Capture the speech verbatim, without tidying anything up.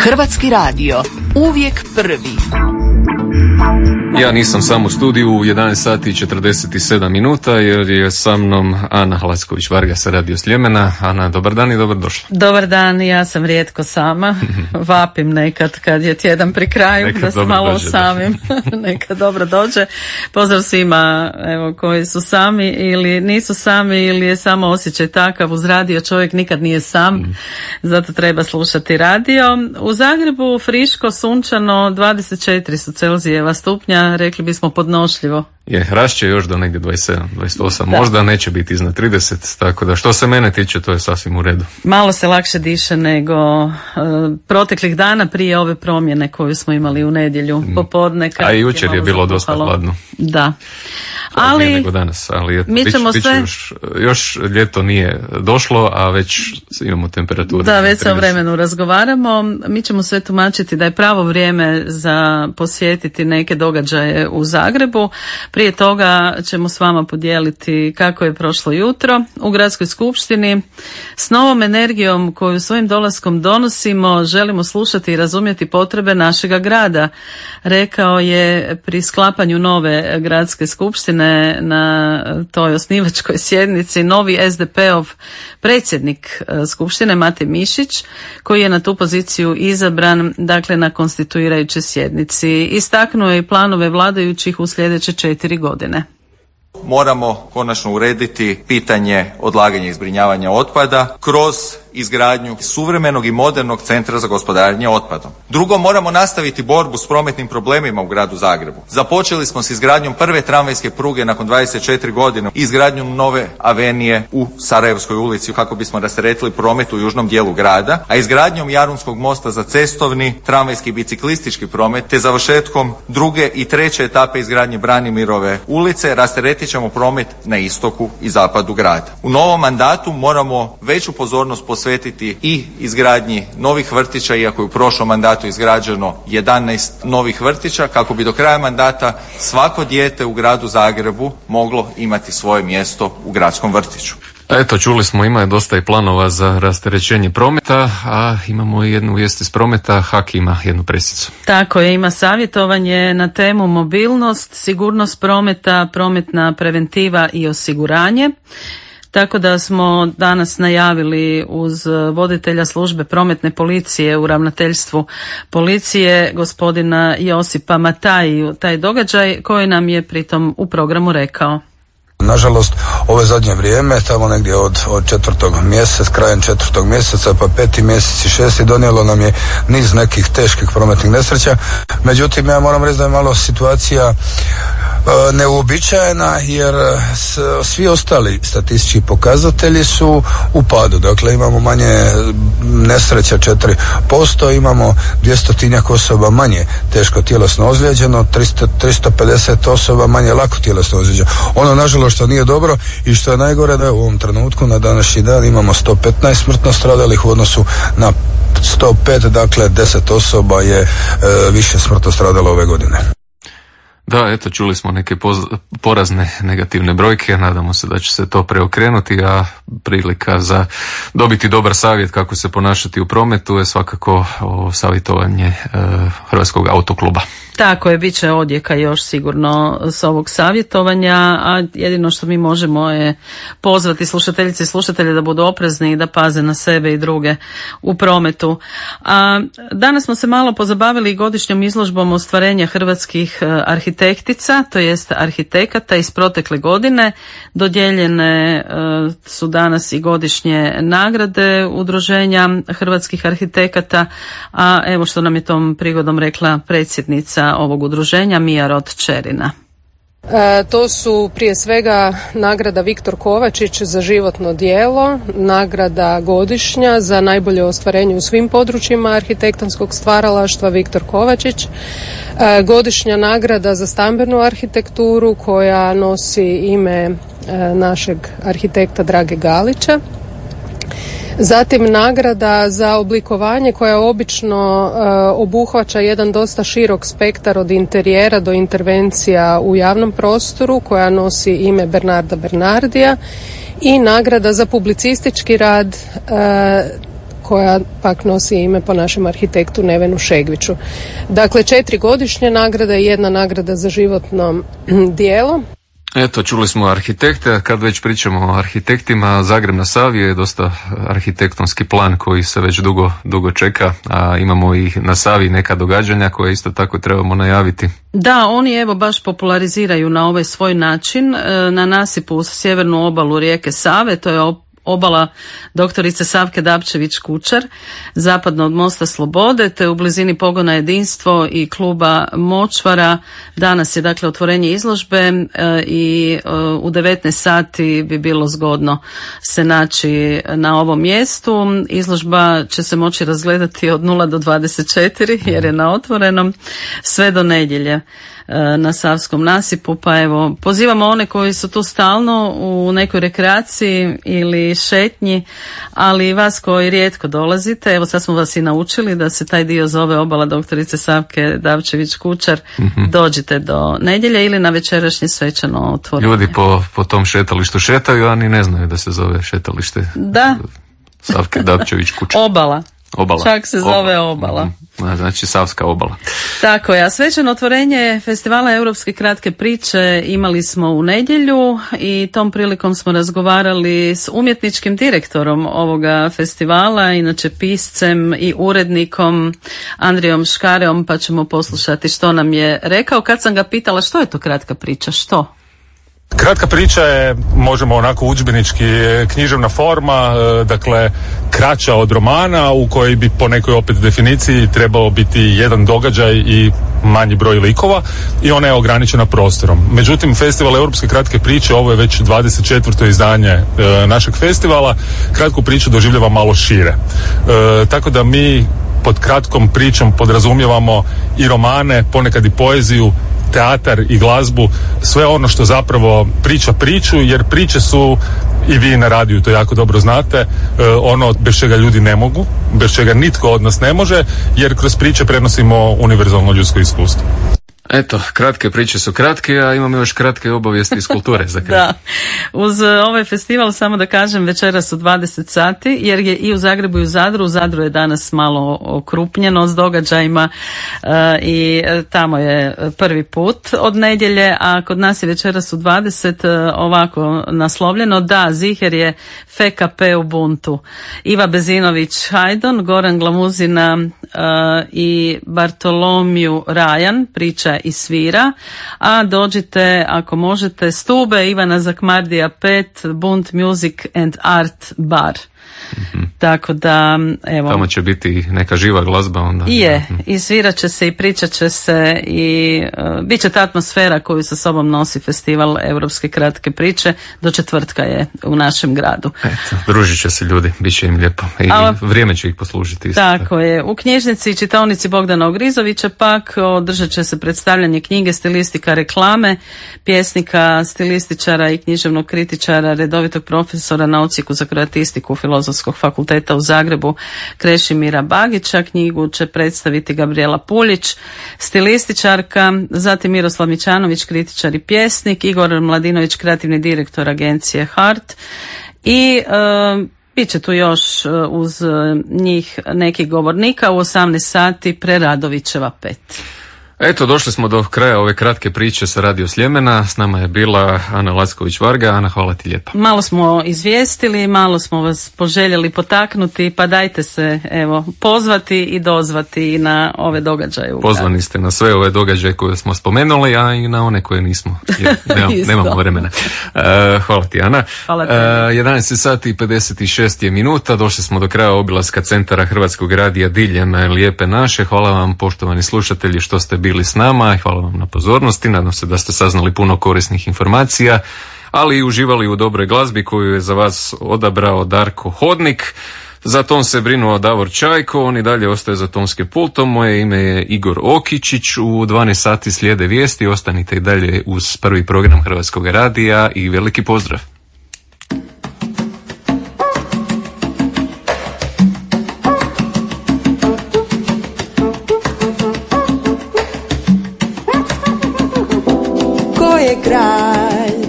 Hrvatski radio, uvijek prvi. Ja nisam sam u studiju u jedanaest sati i četrdeset sedam minuta jer je sa mnom Ana Hlasković-Varga sa Radio Sljemena. Ana, dobar dan i dobrodošla. Dobar dan, ja sam rijetko sama. Vapim nekad kad je tjedan pri kraju, nekad da se malo dođe, osamim. Nekad dobro dođe. Pozdrav svima evo, koji su sami ili nisu sami ili je samo osjećaj takav. Uz radio čovjek nikad nije sam, mm. zato treba slušati radio. U Zagrebu friško, sunčano, dvadeset četiri su Celzijeva stupnja. Rekli bismo podnošljivo. Je, rašće još do negdje dvadeset sedam, dvadeset osam, da. Možda neće biti iznad trideset, tako da što se mene tiče to je sasvim u redu. Malo se lakše diše nego uh, proteklih dana prije ove promjene koju smo imali u nedjelju popodne. A i jučer je, je bilo dosta hladno. Da. Ali, nego danas, ali eto, mi ćemo bić, sve... još, još ljeto nije došlo, a već imamo temperaturu. Da, već se o vremenu razgovaramo. Mi ćemo sve tumačiti da je pravo vrijeme za posjetiti neke događaje u Zagrebu. Prije toga ćemo s vama podijeliti kako je prošlo jutro u Gradskoj skupštini. S novom energijom koju svojim dolaskom donosimo želimo slušati i razumjeti potrebe našega grada, rekao je pri sklapanju nove Gradske skupštine na toj osnivačkoj sjednici novi es de pe-ov predsjednik skupštine Mate Mišić, koji je na tu poziciju izabran dakle na konstituirajućoj sjednici. Istaknuo je i planove vladajućih u sljedeće četiri godine. Moramo konačno urediti pitanje odlaganja i zbrinjavanja otpada kroz izgradnju suvremenog i modernog centra za gospodarenje otpadom. Drugo, moramo nastaviti borbu s prometnim problemima u gradu Zagrebu. Započeli smo s izgradnjom prve tramvajske pruge nakon dvadeset četiri godine i izgradnjom nove avenije u Sarajevskoj ulici kako bismo rasteretili promet u južnom dijelu grada, a izgradnjom Jarunskog mosta za cestovni, tramvajski i biciklistički promet te završetkom druge i treće etape izgradnje Branimirove ulice rasteretit ćemo promet na istoku i zapadu grada. U novom mandatu moramo veću pozornost posvetiti i izgradnji novih vrtića, iako je u prošlom mandatu izgrađeno jedanaest novih vrtića, kako bi do kraja mandata svako dijete u gradu Zagrebu moglo imati svoje mjesto u gradskom vrtiću. Eto, čuli smo, ima je dosta i planova za rasterećenje prometa, a imamo i jednu vijest iz prometa, H A K ima jednu presicu. Tako je, ima savjetovanje na temu mobilnost, sigurnost prometa, prometna preventiva i osiguranje. Tako da smo danas najavili uz voditelja službe prometne policije u ravnateljstvu policije, gospodina Josipa Matajiju, taj događaj koji nam je pritom u programu rekao. Nažalost, ove zadnje vrijeme, tamo negdje od, od četvrtog mjeseca, krajem četvrtog mjeseca, pa peti mjesec i šesti, donijelo nam je niz nekih teških prometnih nesreća. Međutim, ja moram reći da je malo situacija e, neuobičajena, jer s, svi ostali statistički pokazatelji su u padu. Dakle, imamo manje nesreća četiri posto, imamo dvjestotinjak osoba manje teško tjelesno ozlijeđeno, tristo, tristo pedeset osoba manje lako tjelesno ozlijeđeno. Ono, nažalost, što nije dobro i što je najgore, da u ovom trenutku na današnji dan imamo sto petnaest smrtno stradalih u odnosu na sto pet, dakle deset osoba je e, više smrtno stradalo ove godine. Da, eto, čuli smo neke poz- porazne negativne brojke, nadamo se da će se to preokrenuti, a prilika za dobiti dobar savjet kako se ponašati u prometu je svakako o savjetovanje e, Hrvatskog autokluba. Tako je, bit će odjeka još sigurno s ovog savjetovanja, a jedino što mi možemo je pozvati slušateljice i slušatelje da budu oprezni i da paze na sebe i druge u prometu. A danas smo se malo pozabavili godišnjom izložbom ostvarenja hrvatskih arhitektica, to jest arhitekata iz protekle godine. Dodijeljene su danas i godišnje nagrade Udruženja hrvatskih arhitekata, a evo što nam je tom prigodom rekla predsjednica ovog udruženja Mija Rod-Čerina. E, to su prije svega nagrada Viktor Kovačić za životno djelo, nagrada godišnja za najbolje ostvarenje u svim područjima arhitektonskog stvaralaštva Viktor Kovačić, e, godišnja nagrada za stambenu arhitekturu koja nosi ime e, našeg arhitekta Drage Galića. Zatim nagrada za oblikovanje koja obično e, obuhvaća jedan dosta širok spektar od interijera do intervencija u javnom prostoru koja nosi ime Bernarda Bernardija i nagrada za publicistički rad e, koja pak nosi ime po našem arhitektu Nevenu Šegviću. Dakle, četiri godišnje nagrade i jedna nagrada za životno djelo. Eto, čuli smo arhitekte, a kad već pričamo o arhitektima, Zagreb na Savi je dosta arhitektonski plan koji se već dugo, dugo čeka, a imamo i na Savi neka događanja koje isto tako trebamo najaviti. Da, oni evo baš populariziraju na ovaj svoj način na nasipu uz sjevernu obalu rijeke Save, to je obala doktorice Savke Dapčević-Kučar, zapadno od Mosta Slobode, te u blizini pogona Jedinstvo i kluba Močvara. Danas je dakle otvorenje izložbe e, i e, u devetnaest sati bi bilo zgodno se naći na ovom mjestu. Izložba će se moći razgledati od nula do dvadeset četiri jer je na otvorenom sve do nedjelje na Savskom nasipu, pa evo pozivamo one koji su tu stalno u nekoj rekreaciji ili šetnji, ali i vas koji rijetko dolazite, evo sad smo vas i naučili da se taj dio zove obala doktorice Savke Dapčević-Kučar, mm-hmm. dođite do nedjelje ili na večerašnje svečano otvorenje. Ljudi po, po tom šetalištu šetaju, a ni ne znaju da se zove šetalište da. Savke Dapčević-Kučar. Obala. Obala. Čak se zove obala. obala. Mm-hmm. Znači Savska obala. Tako je, a svečano otvorenje festivala Europske kratke priče imali smo u nedjelju i tom prilikom smo razgovarali s umjetničkim direktorom ovoga festivala, inače piscem i urednikom Andrijom Škareom, pa ćemo poslušati što nam je rekao. Kad sam ga pitala što je to kratka priča, što? Kratka priča je, možemo onako udžbenički, književna forma, dakle kraća od romana u kojoj bi po nekoj opet definiciji trebao biti jedan događaj i manji broj likova i ona je ograničena prostorom. Međutim, Festival Europske kratke priče, ovo je već dvadeset četvrto izdanje e, našeg festivala, kratku priču doživljava malo šire. E, tako da mi pod kratkom pričom podrazumijevamo i romane, ponekad i poeziju, teatar i glazbu, sve ono što zapravo priča priču, jer priče su, i vi na radiju to jako dobro znate, ono bez čega ljudi ne mogu, bez čega nitko od nas ne može, jer kroz priče prenosimo univerzalno ljudsko iskustvo. Eto, kratke priče su kratke, a imamo još kratke obavijesti iz kulture za kraj. Da, uz ovaj festival samo da kažem večeras u dvadeset sati, jer je i u Zagrebu i u Zadru, u Zadru je danas malo okrupnjeno s događajima uh, i tamo je prvi put od nedjelje, a kod nas je večeras u dvadeset uh, ovako naslovljeno, da, ziher je F K P Ubuntu. Iva Bezinović Hajdon, Goran Glamuzina uh, i Bartolomiju Rajan, priča i svira, a dođite ako možete Stube Ivana Zakmardija pet, Bunt Music and Art Bar. Mm-hmm. Tako da, evo. Tamo će biti neka živa glazba onda. Je, i svirat će se i pričat će se i uh, bit će ta atmosfera koju sa sobom nosi festival Europske kratke priče. Do četvrtka je u našem gradu. Eto, družit će se ljudi, bit će im lijepo. I A, vrijeme će ih poslužiti. Isto. Tako je. U knjižnici i čitaonici Bogdana Ogrizovića pak održat će se predstavljanje knjige Stilistika reklame, pjesnika, stilističara i književnog kritičara, redovitog profesora na odsjeku za kroatistiku Filozofskog fakulteta u Zagrebu Krešimira Bagića. Knjigu će predstaviti Gabriela Puljić, stilističarka, zatim Miroslav Mićanović, kritičar i pjesnik, Igor Mladinović, kreativni direktor agencije Hart i e, bit će tu još uz njih nekih govornika u osamnaest sati Preradovićeva pet. Eto, došli smo do kraja ove kratke priče sa Radio Sljemena. S nama je bila Ana Lacković-Varga. Ana, hvala ti lijepa. Malo smo izvijestili, malo smo vas poželjeli potaknuti, pa dajte se evo pozvati i dozvati na ove događaje. Pozvani ste na sve ove događaje koje smo spomenuli, a i na one koje nismo. Jer nemam, nemamo vremena. Uh, hvala ti, Ana. Hvala ti. Uh, jedanaest sati i pedeset šest je minuta. Došli smo do kraja obilaska centara Hrvatskog radija diljem Lijepe naše. Hvala vam, poštovani slušatelji, što ste bili s nama i hvala vam na pozornosti. Nadam se da ste saznali puno korisnih informacija, ali i uživali u dobroj glazbi koju je za vas odabrao Darko Hodnik. Za ton se brinuo Davor Čajko, on i dalje ostaje za tonskim pultom. Moje ime je Igor Okičić. U dvanaest sati slijede vijesti. Ostanite i dalje uz prvi program Hrvatskog radija i veliki pozdrav. Kraj